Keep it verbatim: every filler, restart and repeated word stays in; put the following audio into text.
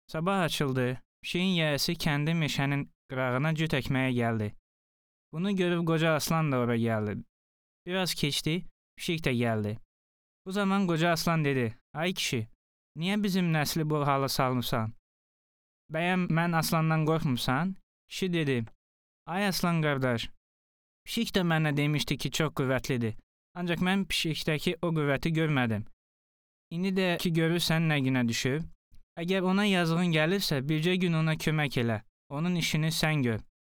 Sabah açıldı. Pişiyin yiyəsi kəndi meşənin qırağına cüt əkməyə gəldi. Bunu görüb qoca aslan da ora gəldi. Biraz keçdi, pişik də gəldi. Bu zaman qoca aslan dedi: "Ay kişi, niyə bizim nəsli bu hala salmısan? Bəyəm mən aslandan qorxmursan?" Kişi dedi: "Ay aslan qardaş, pişik də mənə demişdi ki, çox qüvvətlidir. Ancaq mən pişikdəki o qüvvəti görmədim. İndi də ki görürsən nə günə düşüb. Əgər ona yazığın gəlirsə, bircə gün ona kömək elə. Onun işini sən gör."